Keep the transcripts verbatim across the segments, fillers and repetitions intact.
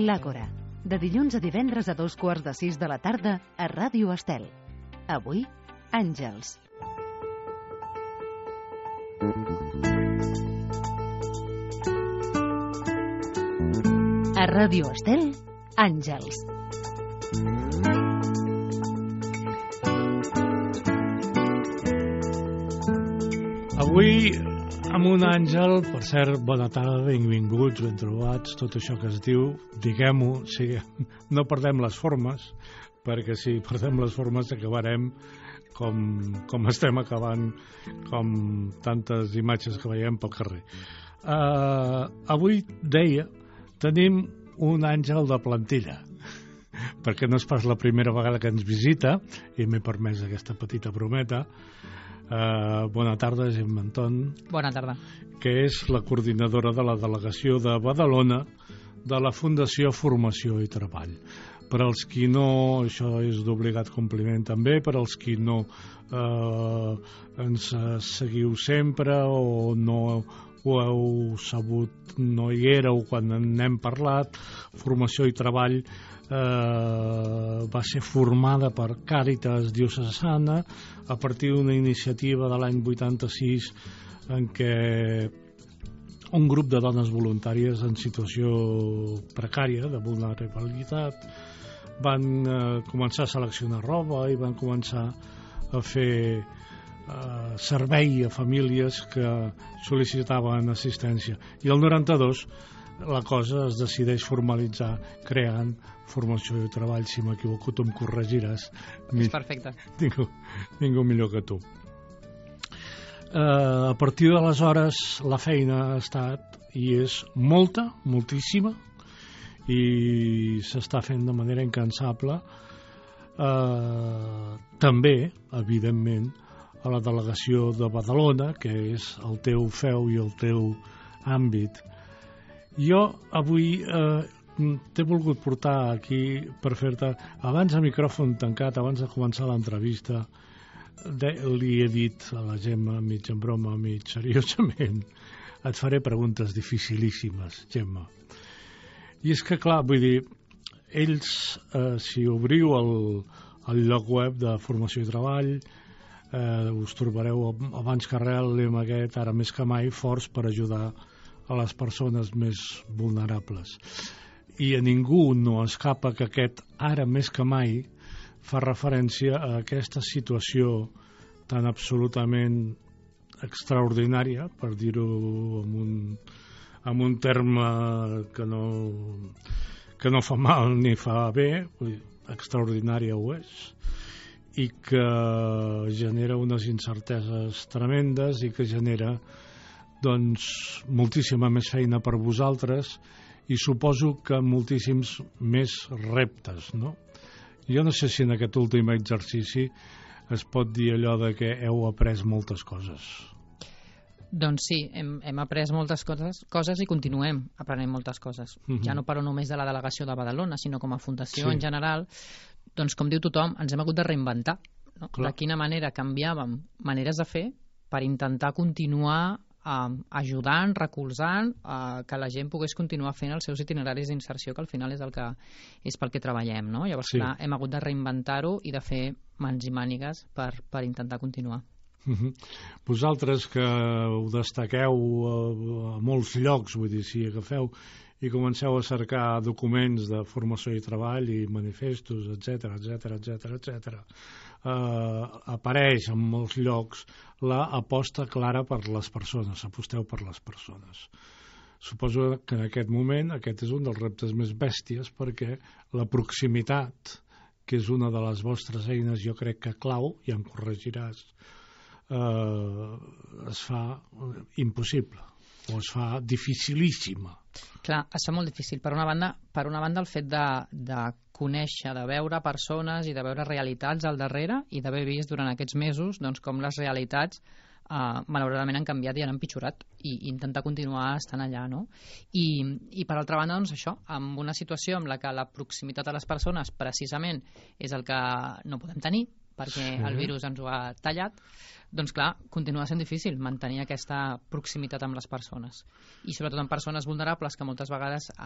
L'Àgora, de dilluns a divendres a dos quarts de sis de la tarda a Ràdio Estel. Avui, Àngels. A Ràdio Estel, Àngels. Avui, amb un àngel, per cert, bona tarda, benvinguts, ben trobats, tot això que es diu, diguem-ho, sí, no perdem les formes, perquè si perdem les formes acabarem com, com estem acabant, com tantes imatges que veiem pel carrer. Uh, avui, deia, tenim un àngel de plantilla, perquè no és pas la primera vegada que ens visita, i m'he permès aquesta petita brometa. Uh, bona tarda, Gemma Anton. Bona tarda. Que és la coordinadora de la delegació de Badalona de la Fundació Formació i Treball. Per als qui no, això és d'obligat compliment també, per als qui no eh, ens seguiu sempre o no ho heu sabut, no hi éreu quan n'hem parlat, Formació i Treball Eh, va ser formada per Càritas Diocesana a partir d'una iniciativa de l'any vuitanta-sis en què un grup de dones voluntàries en situació precària de vulnerabilitat van eh, començar a seleccionar roba i van començar a fer eh, servei a famílies que sol·licitaven assistència. I el noranta-dos la cosa es decideix formalitzar creant Formació i Treball. Si m'equivoco, tu em corregiràs. És perfecte. Ningú, ningú millor que tu. Uh, a partir d'aleshores la feina ha estat i és molta, moltíssima, i s'està fent de manera incansable. Uh, també, evidentment, a la delegació de Badalona, que és el teu feu i el teu àmbit. Jo avui eh, t'he volgut portar aquí per fer-te, abans de micròfon tancat, abans de començar l'entrevista, de, li he dit a la Gemma, mig en broma, mig seriosament, et faré preguntes dificilíssimes, Gemma. I és que, clar, vull dir, ells, eh, si obriu el, el lloc web de Formació i Treball, eh, us trobareu abans que res el lema aquest, ara més que mai, forts per ajudar a les persones més vulnerables. I a ningú no escapa que aquest ara més que mai fa referència a aquesta situació tan absolutament extraordinària, per dir-ho amb un, amb un terme que no, que no fa mal ni fa bé, vull dir, extraordinària ho és, i que genera unes incerteses tremendes i que genera doncs moltíssima més feina per vosaltres i suposo que moltíssims més reptes, no? Jo no sé si en aquest últim exercici es pot dir allò de que heu après moltes coses. Doncs sí, hem, hem après moltes coses, coses i continuem aprenent moltes coses. Mm-hmm. Ja no parlo només de la delegació de Badalona, sinó com a fundació sí. En general, doncs com diu tothom, ens hem hagut de reinventar, no? De quina manera canviàvem maneres de fer per intentar continuar Uh, ajudant, recolzant uh, que la gent pogués continuar fent els seus itineraris d'inserció, que al final és el que és pel que treballem, no? Llavors, sí. Clar, hem hagut de reinventar-ho i de fer mans i mànigues per, per intentar continuar. Uh-huh. Vosaltres que ho destaqueu a, a molts llocs, vull dir, si agafeu i comenceu a cercar documents de formació i treball i manifestos, etcètera, etcètera, etcètera, etcètera, Uh, apareix en molts llocs la aposta clara per les persones, aposteu per les persones. Suposo que en aquest moment aquest és un dels reptes més bèsties perquè la proximitat, que és una de les vostres eines, jo crec que clau, i em corregiràs, uh, es fa impossible o es fa dificilíssima. Clar, es fa molt difícil. Per una banda, per una banda el fet de, de conèixer, de veure persones i de veure realitats al darrere i d'haver vist durant aquests mesos doncs, com les realitats eh, malauradament han canviat i han empitjorat i, i intentar continuar estant allà, no? I, i per altra banda, doncs això, amb una situació en la que la proximitat a les persones precisament és el que no podem tenir, perquè sí. el virus ens ho ha tallat, doncs clar, continua sent difícil mantenir aquesta proximitat amb les persones. I sobretot en persones vulnerables que moltes vegades eh,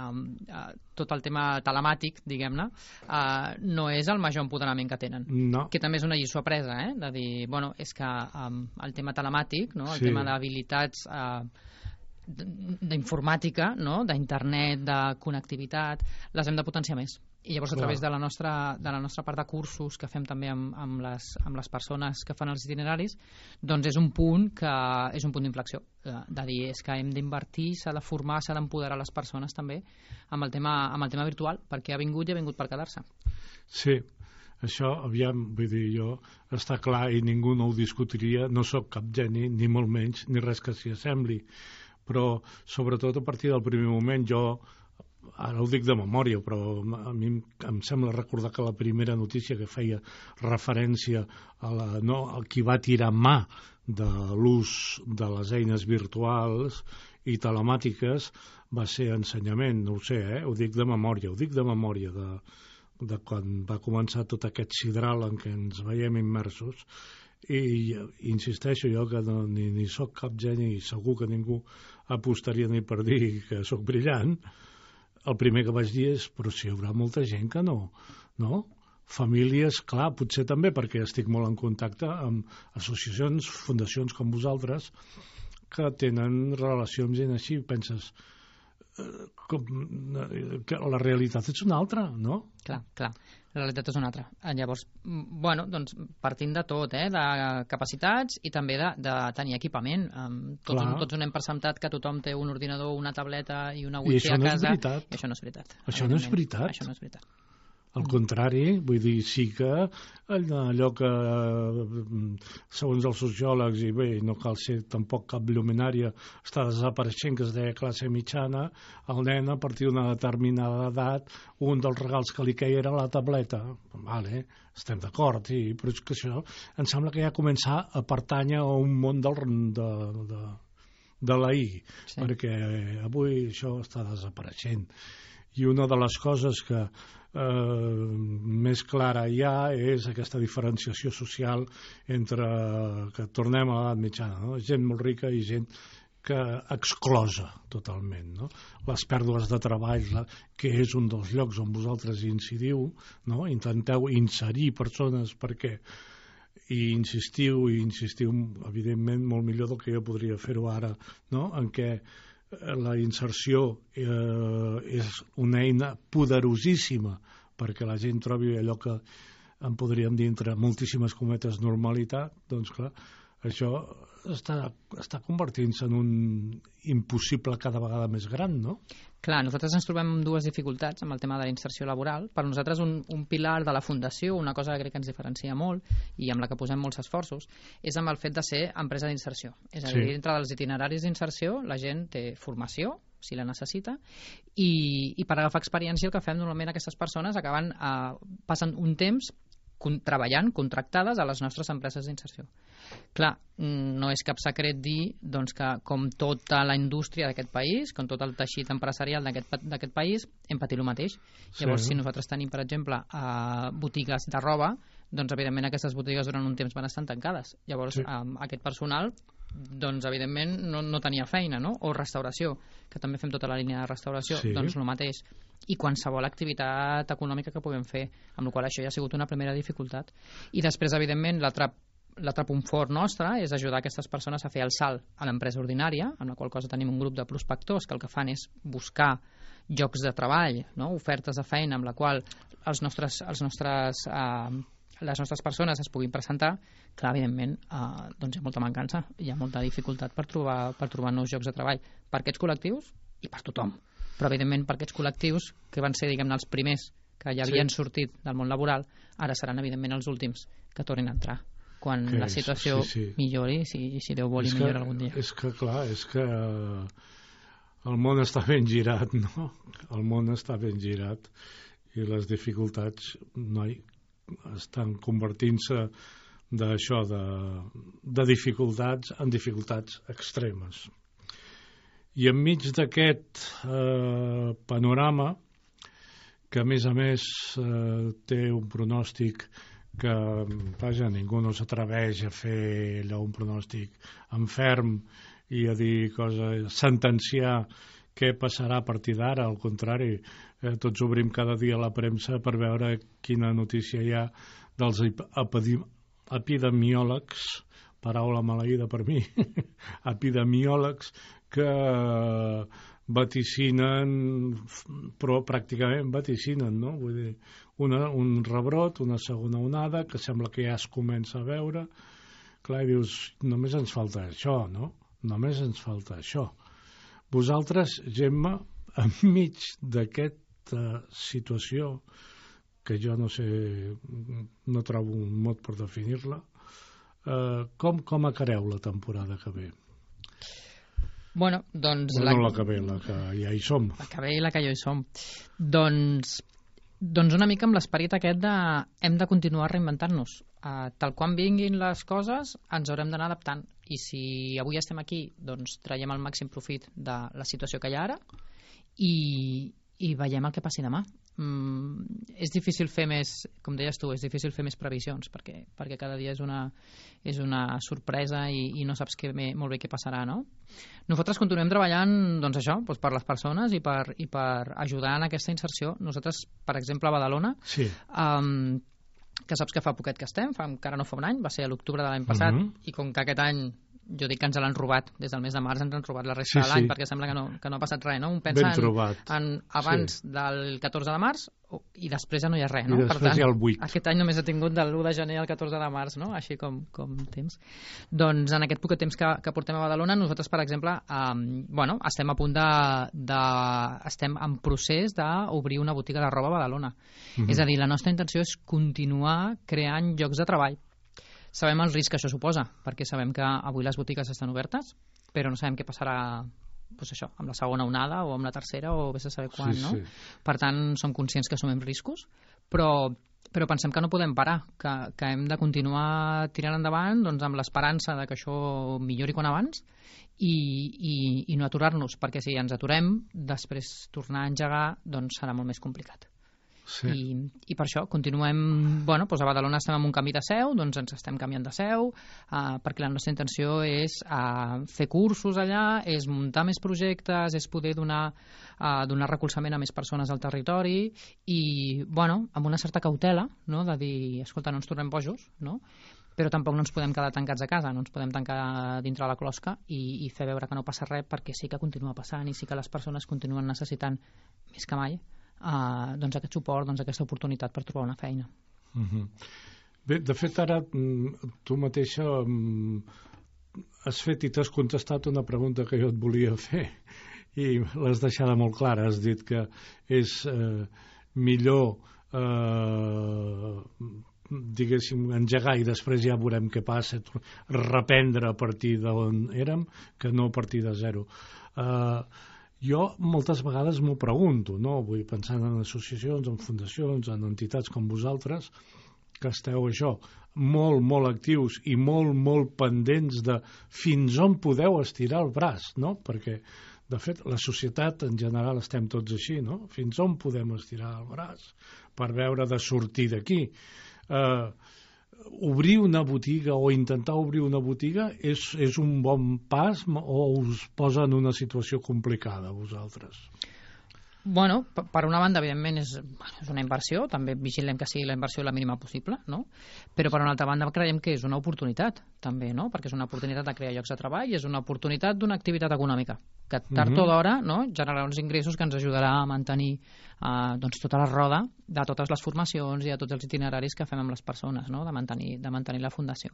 eh, tot el tema telemàtic, diguem-ne, eh, no és el major empoderament que tenen. No. Que també és una lliçó apresa, eh? De dir, bueno, és que eh, el tema telemàtic, no? El sí. tema d'habilitats eh, d'informàtica, no? D'internet, de connectivitat, les hem de potenciar més. I llavors a través de la nostra, de la nostra part de cursos que fem també amb, amb, les, amb les persones que fan els itineraris, doncs és un punt que és un punt d'inflexió, de, de dir és que hem d'invertir, s'ha de formar, s'ha d'empoderar les persones també amb el tema, amb el tema virtual, perquè ha vingut i ha vingut per quedar-se. Sí, això, aviam, vull dir, jo, està clar i ningú no ho discutiria, no sóc cap geni, ni molt menys, ni res que s'hi assembli, però sobretot a partir del primer moment jo, ara ho dic de memòria, però a mi em sembla recordar que la primera notícia que feia referència a, la, no, a qui va tirar mà de l'ús de les eines virtuals i telemàtiques va ser ensenyament, no ho sé, eh? Ho dic de memòria, ho dic de memòria de, de quan va començar tot aquest sidral en què ens veiem immersos. I insisteixo jo que no, ni, ni sóc cap geni i segur que ningú apostaria ni per dir que sóc brillant. El primer que vaig dir és, però si hi haurà molta gent que no, no? Famílies, clar, potser també, perquè estic molt en contacte amb associacions, fundacions com vosaltres, que tenen relació amb gent així, penses, eh, com, eh, que la realitat és una altra, no? Clar, clar, la realitat és una altra. Llavors, bueno, doncs partint de tot, eh, de capacitats i també de, de tenir equipament. Um, tots, un, tots un hem presentat que tothom té un ordinador, una tableta i una wifi a casa. I això no és veritat. Això no és veritat. Això no és veritat. Al contrari, vull dir, sí que allò que, segons els sociòlegs, i bé, no cal ser tampoc cap lluminària, està desapareixent, que es deia classe mitjana, el nen, a partir d'una determinada edat, un dels regals que li queia era la tableta. Vale, estem d'acord, sí, però és que això em sembla que ja comença a pertànyer a un món del, de, de, de la I, sí. Perquè avui això està desapareixent. I una de les coses que eh, més clara hi ha és aquesta diferenciació social entre, que tornem a l'edat mitjana, no? Gent molt rica i gent que exclosa totalment, no? Les pèrdues de treball, la, que és un dels llocs on vosaltres incidiu, no? Intenteu inserir persones perquè i insistiu i insistiu evidentment molt millor del que jo podria fer-ho ara, no? En què la inserció eh, és una eina poderosíssima perquè la gent trobi allò que en podríem dir entre moltíssimes cometes normalitat, doncs clar, això està, està convertint-se en un impossible cada vegada més gran, no? Clar, nosaltres ens trobem amb dues dificultats amb el tema de la inserció laboral. Per nosaltres un, un pilar de la Fundació, una cosa que crec que ens diferencia molt i amb la que posem molts esforços, és amb el fet de ser empresa d'inserció. És a dir, sí. Dintre dels itineraris d'inserció la gent té formació, si la necessita, i, i per agafar experiència el que fem normalment aquestes persones acaben eh, passant un temps con, treballant, contractades a les nostres empreses d'inserció. Clar, no és cap secret dir doncs, que com tota la indústria d'aquest país, com tot el teixit empresarial d'aquest país, hem patit el mateix. Llavors, sí. Si nosaltres tenim, per exemple, eh, botigues de roba, doncs, evidentment, aquestes botigues durant un temps van estar tancades. Llavors, sí. eh, aquest personal, doncs, evidentment, no, no tenia feina, no? O restauració, que també fem tota la línia de restauració, sí. Doncs el mateix. I qualsevol activitat econòmica que puguem fer, amb la qual això ja ha sigut una primera dificultat. I després, evidentment, l'altre L'altre punt fort nostre és ajudar aquestes persones a fer el salt a l'empresa ordinària, amb la qual cosa tenim un grup de prospectors que el que fan és buscar llocs de treball, no? Ofertes de feina amb la qual els nostres, els nostres, eh, les nostres persones es puguin presentar. Clar, evidentment, eh, doncs hi ha molta mancança, hi ha molta dificultat per trobar, per trobar nous llocs de treball per aquests col·lectius i per tothom. Però, evidentment, per aquests col·lectius que van ser, diguem-ne, els primers que ja havien sí. sortit del món laboral, ara seran, evidentment, els últims que tornin a entrar quan que la situació és, sí, sí. millori, si, si Déu vol i millora algun dia. És que, clar, és que el món està ben girat, no? El món està ben girat i les dificultats, noi, estan convertint-se d'això, de, de dificultats en dificultats extremes. I enmig d'aquest eh, panorama, que a més a més eh, té un pronòstic que vaja, ningú no s'atreveix a fer allò un pronòstic enferm i a dir coses, sentenciar què passarà a partir d'ara. Al contrari, eh, tots obrim cada dia la premsa per veure quina notícia hi ha dels epidemiòlegs, paraula maleïda per mi, epidemiòlegs que vaticinen, però pràcticament vaticinen, no? Vull dir, una, un rebrot, una segona onada, que sembla que ja es comença a veure. Clar, i dius, només ens falta això, no? Només ens falta això. Vosaltres, Gemma, enmig d'aquesta situació, que jo no sé, no trobo un mot per definir-la, eh, com, com acareu la temporada que ve? Bueno, doncs... No la, la que ve, la que ja hi som. La que ve i la que ja hi som. Doncs, doncs una mica amb l'esperit aquest de hem de continuar reinventant-nos. Uh, tal quan vinguin les coses ens haurem d'anar adaptant. I si avui estem aquí, doncs traiem el màxim profit de la situació que hi ha ara i, i veiem el que passi demà. Mm, és difícil fer més, com deies tu, és difícil fer més previsions perquè, perquè cada dia és una, és una sorpresa i, i no saps que bé, molt bé què passarà, no? Nosaltres continuem treballant doncs això, doncs per les persones i per, i per ajudar en aquesta inserció. Nosaltres, per exemple, a Badalona, sí. um, que saps que fa poquet que estem, fa, encara no fa un any, va ser a l'octubre de l'any passat, uh-huh. I com que aquest any jo dic que ens l'han robat, des del mes de març ens han robat la resta sí, de l'any, sí. Perquè sembla que no, que no ha passat res, no? Un pensa en, en abans sí. Del catorze de març i després ja no hi ha res, no? I després per tant, hi ha el vuit. Aquest any només ha tingut de l'u de gener al catorze de març, no? Així com, com temps. Doncs en aquest poc temps que, que portem a Badalona, nosaltres, per exemple, um, bueno, estem a punt de, de... estem en procés d'obrir una botiga de roba a Badalona. Mm-hmm. És a dir, la nostra intenció és continuar creant llocs de treball. Sabem el risc que això suposa, perquè sabem que avui les botigues estan obertes, però no sabem què passarà doncs això, amb la segona onada o amb la tercera o vés a saber quan, sí, no? Sí. Per tant, som conscients que assumim riscos, però, però pensem que no podem parar, que, que hem de continuar tirant endavant doncs, amb l'esperança de que això millori quan abans i, i, i no aturar-nos, perquè si ens aturem, després tornar a engegar doncs serà molt més complicat. Sí. I, i per això continuem, bueno, doncs a Badalona estem en un canvi de seu, doncs ens estem canviant de seu, uh, perquè la nostra intenció és uh, fer cursos allà, és muntar més projectes, és poder donar, uh, donar recolzament a més persones al territori i, bueno, amb una certa cautela, no?, de dir, escolta, no ens tornem bojos, no?, però tampoc no ens podem quedar tancats a casa, no ens podem tancar dintre la closca i, i fer veure que no passa res, perquè sí que continua passant i sí que les persones continuen necessitant més que mai Uh, doncs aquest suport, doncs aquesta oportunitat per trobar una feina. Uh-huh. Bé, de fet ara tu mateixa um, has fet i t'has contestat una pregunta que jo et volia fer i l'has deixada molt clara. Has dit que és uh, millor uh, diguéssim engegar i després ja veurem què passa, reprendre a partir d'on érem que no a partir de zero. Uh, Jo moltes vegades m'ho pregunto, no? Vull pensar en associacions, en fundacions, en entitats com vosaltres, que esteu això, molt, molt actius i molt, molt pendents de fins on podeu estirar el braç, no? Perquè, de fet, la societat en general estem tots així, no? Fins on podem estirar el braç per veure de sortir d'aquí. Eh... Obrir una botiga o intentar obrir una botiga és, és un bon pas o us posa en una situació complicada a vosaltres? Bueno, per una banda, evidentment, és, és una inversió, també vigilem que sigui la inversió la mínima possible, no? Però per una altra banda creiem que és una oportunitat, també, no? Perquè és una oportunitat de crear llocs de treball i és una oportunitat d'una activitat econòmica, que tard uh-huh. o d'hora, no?, generarà uns ingressos que ens ajudarà a mantenir eh, doncs, tota la roda de totes les formacions i de tots els itineraris que fem amb les persones, no?, de mantenir, de mantenir la fundació.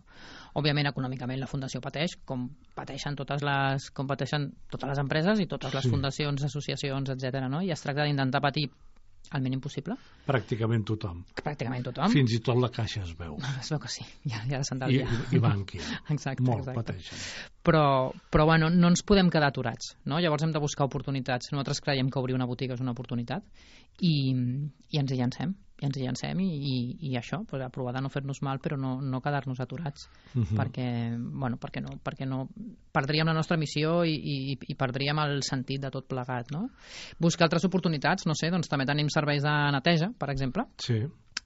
Òbviament, econòmicament, la fundació pateix, com pateixen totes les, com pateixen totes les empreses i totes les sí. fundacions, associacions, etcètera, no? I es tracta d'intentar patir el mínim possible. Pràcticament tothom. Pràcticament tothom. Fins i tot la Caixa es veu. Es veu que sí, ja, ja se'n I, I Bànquia. Exacte, molt exacte. pateixen. Però, però bueno, no ens podem quedar aturats, no? Llavors hem de buscar oportunitats. Nosaltres creiem que obrir una botiga és una oportunitat i, i ens hi llancem. I ens hi llancem i, i, i això, pues, a provar de no fer-nos mal però no, no quedar-nos aturats uh-huh. perquè, bueno, perquè, no, perquè no perdríem la nostra missió i, i, i perdríem el sentit de tot plegat, no? Buscar altres oportunitats, no sé, doncs també tenim serveis de neteja, per exemple. Sí.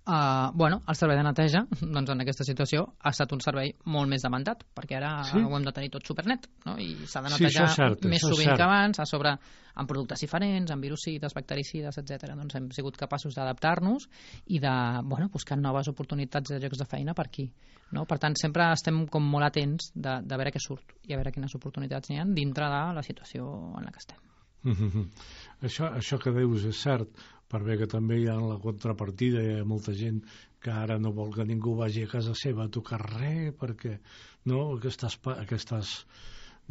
Uh, bueno, el servei de neteja, doncs en aquesta situació, ha estat un servei molt més demandat, perquè ara sí? ho hem de tenir tot supernet, no? I s'ha de netejar sí, cert, més sovint que abans, a sobre amb productes diferents, amb virucides, bactericides, etcètera. Doncs hem sigut capaços d'adaptar-nos i de, bueno, buscar noves oportunitats de llocs de feina per aquí. No? Per tant, sempre estem com molt atents de, de veure què surt i a veure quines oportunitats n'hi ha dintre de la situació en la que estem. Mm-hmm. Això, això que dius és cert, per bé que també hi ha la contrapartida, hi ha molta gent que ara no vol que ningú vagi a casa seva a tocar res, perquè no, aquestes, aquestes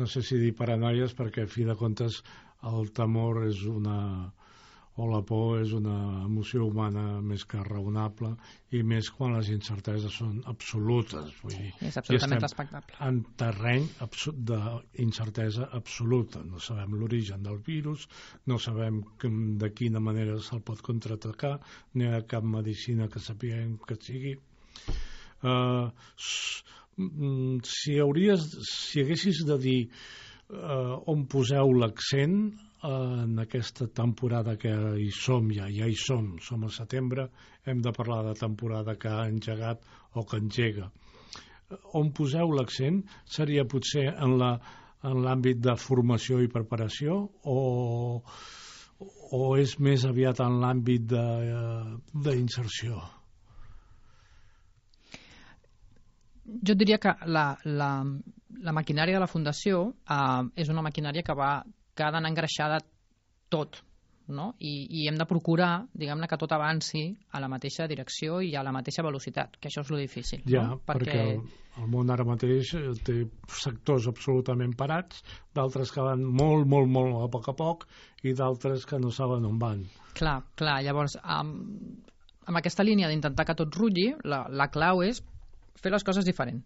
no sé si dir paranoies, perquè a fi de comptes el temor és una, o la por és una emoció humana més que raonable, i més quan les incerteses són absolutes. Vull dir, és absolutament respectable. En terreny d'incertesa absoluta. No sabem l'origen del virus, no sabem de quina manera se'l pot contraatacar, no hi ha cap medicina que sapiguem que sigui. Uh, si, hauries, si haguessis de dir uh, on poseu l'accent en aquesta temporada que hi som ja, ja hi som, som a setembre, hem de parlar de temporada que ha engegat o que engega. On poseu l'accent seria potser en la en l'àmbit de formació i preparació o, o és més aviat en l'àmbit d'inserció? Jo diria que la, la, la maquinària de la Fundació eh, és una maquinària que va que ha d'anar engreixada tot, no? I, i hem de procurar, diguem-ne, que tot avanci a la mateixa direcció i a la mateixa velocitat, que això és lo difícil. Ja, no? perquè, perquè el, el món ara mateix té sectors absolutament parats, d'altres que van molt, molt, molt a poc a poc i d'altres que no saben on van. Clar, clar, llavors, amb, amb aquesta línia d'intentar que tot rutlli, la, la clau és fer les coses diferent.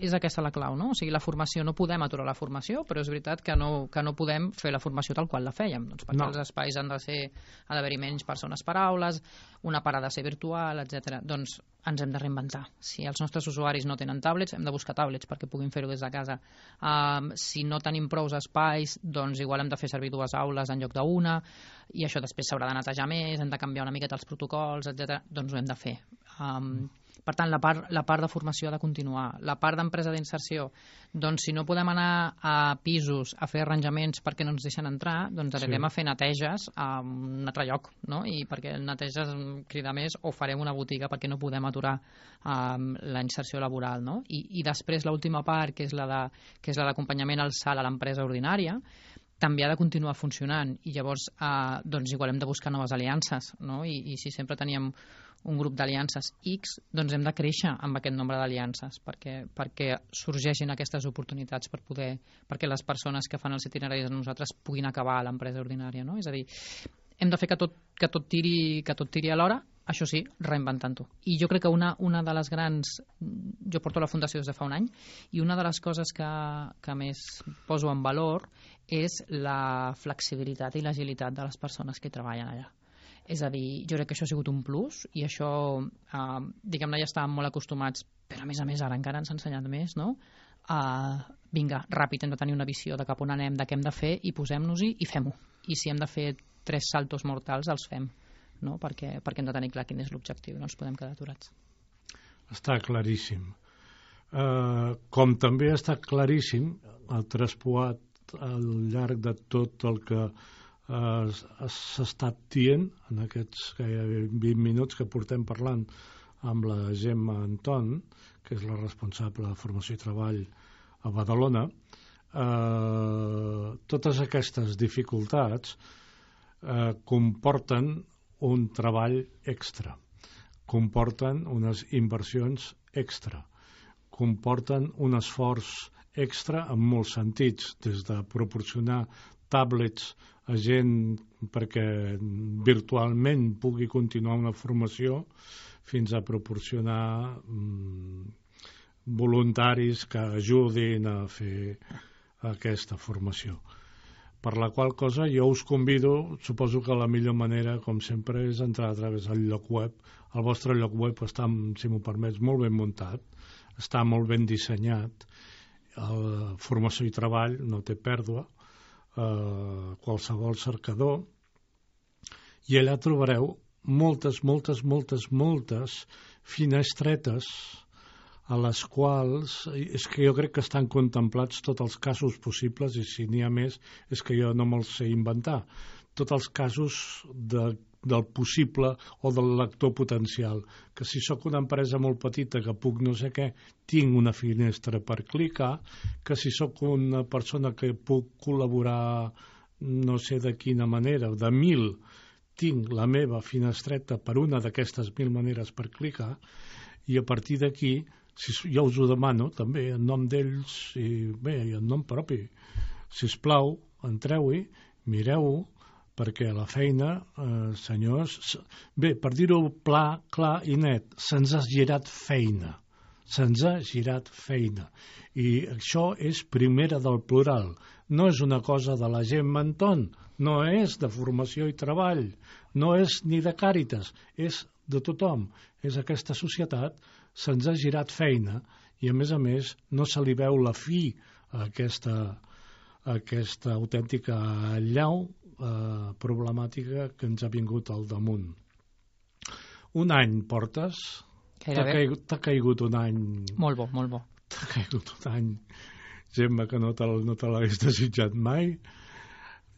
És aquesta la clau, no? O sigui, la formació, no podem aturar la formació, però és veritat que no, que no podem fer la formació tal qual la fèiem, doncs perquè no. Els espais han de ser, ha d'haver-hi menys persones per aules, una part ha de ser virtual, etcètera. Doncs ens hem de reinventar. Si els nostres usuaris no tenen tablets, hem de buscar tablets perquè puguin fer-ho des de casa. Um, si no tenim prous espais, doncs igual hem de fer servir dues aules en lloc d'una, i això després s'haurà de netejar més, hem de canviar una miqueta els protocols, etcètera. Doncs ho hem de fer. Um, Per tant, la part, la part de formació ha de continuar. La part d'empresa d'inserció, doncs si no podem anar a pisos a fer arranjaments perquè no ens deixen entrar, doncs anirem sí. a fer neteges a un altre lloc, no? I perquè neteges crida més, o farem una botiga perquè no podem aturar um, la inserció laboral, no? I, i després l'última part, que és la de, que és la d'acompanyament al salt a l'empresa ordinària, també ha de continuar funcionant, i llavors eh, doncs igual hem de buscar noves aliances, no? I, i si sempre teníem un grup d'aliances X, doncs hem de créixer amb aquest nombre d'aliances perquè, perquè sorgeixin aquestes oportunitats per poder, perquè les persones que fan els itineraris amb nosaltres puguin acabar a l'empresa ordinària, no? És a dir, hem de fer que tot, que tot tiri, que tot tiri alhora, això sí, reinventant-ho. I jo crec que una, una de les grans... Jo porto la Fundació des de fa un any, i una de les coses que, que més poso en valor és la flexibilitat i l'agilitat de les persones que hi treballen allà. És a dir, jo crec que això ha sigut un plus, i això, eh, diguem-ne, ja estàvem molt acostumats, però a més a més ara encara ens ha ensenyat més, no? Uh, vinga, ràpid, hem de tenir una visió de cap on anem, de què hem de fer, i posem-nos-hi i fem-ho. I si hem de fer tres saltos mortals, els fem, no? Perquè, perquè hem de tenir clar quin és l'objectiu, no ens podem quedar aturats. Està claríssim. Uh, com també està claríssim, el traspoat al llarg de tot el que Uh, s'ha estat dient en aquests gairebé vint minuts que portem parlant amb la Gemma Anton, que és la responsable de formació i treball a Badalona. Uh, totes aquestes dificultats uh, comporten un treball extra, comporten unes inversions extra, comporten un esforç extra en molts sentits, des de proporcionar tablets a gent perquè virtualment pugui continuar una formació, fins a proporcionar mm, voluntaris que ajudin a fer aquesta formació. Per la qual cosa jo us convido, suposo que la millor manera, com sempre, és entrar a través del lloc web. El vostre lloc web està, si m'ho permets, molt ben muntat, està molt ben dissenyat, la formació i treball no té pèrdua, Uh, qualsevol cercador, i allà trobareu moltes, moltes, moltes, moltes finestretes a les quals és que jo crec que estan contemplats tots els casos possibles, i si n'hi ha més és que jo no me'ls sé inventar, tots els casos de, del possible o del lector potencial, que si sóc una empresa molt petita que puc no sé què, tinc una finestra per clicar, que si sóc una persona que puc col·laborar no sé de quina manera, de mil, tinc la meva finestreta per una d'aquestes mil maneres per clicar, i a partir d'aquí, si jo us ho demano també en nom d'ells i bé, i en nom propi, sisplau, entreu-hi, mireu-ho, perquè la feina, eh, senyors, bé, per dir-ho pla, clar i net, se'ns ha girat feina, se'ns ha girat feina, i això és primera del plural, no és una cosa de la gent menton, no és de formació i treball, no és ni de Càritas, és de tothom, és aquesta societat, se'ns ha girat feina i a més a més no se li veu la fi a aquesta, a aquesta autèntica allau eh, problemàtica que ens ha vingut al damunt. Un any portes? T'ha caigut, t'ha caigut un any... Molt bo, molt bo. T'ha caigut un any, Gemma, que no te, no te l'hagués desitjat mai.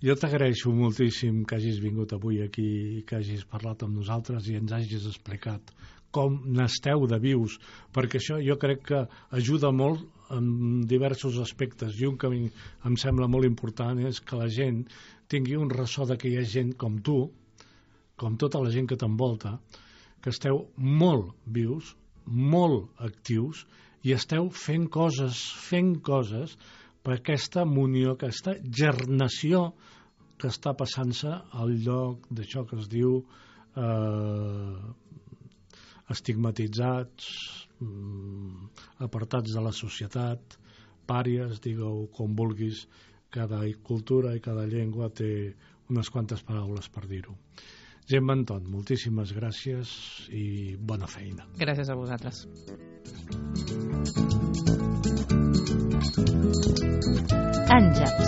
Jo t'agraeixo moltíssim que hagis vingut avui aquí i que hagis parlat amb nosaltres i ens hagis explicat com n'esteu de vius, perquè això jo crec que ajuda molt en diversos aspectes, i un que em sembla molt important és que la gent tingui un ressò de que hi ha gent com tu, com tota la gent que t'envolta, que esteu molt vius, molt actius, i esteu fent coses, fent coses per aquesta munió, aquesta gernació que està passant-se al lloc d'això que es diu eh, estigmatitzats, apartats de la societat, pàries, digue-ho com vulguis, cada cultura i cada llengua té unes quantes paraules per dir-ho. Gemma Anton, moltíssimes gràcies i bona feina. Gràcies a vosaltres. Àngels,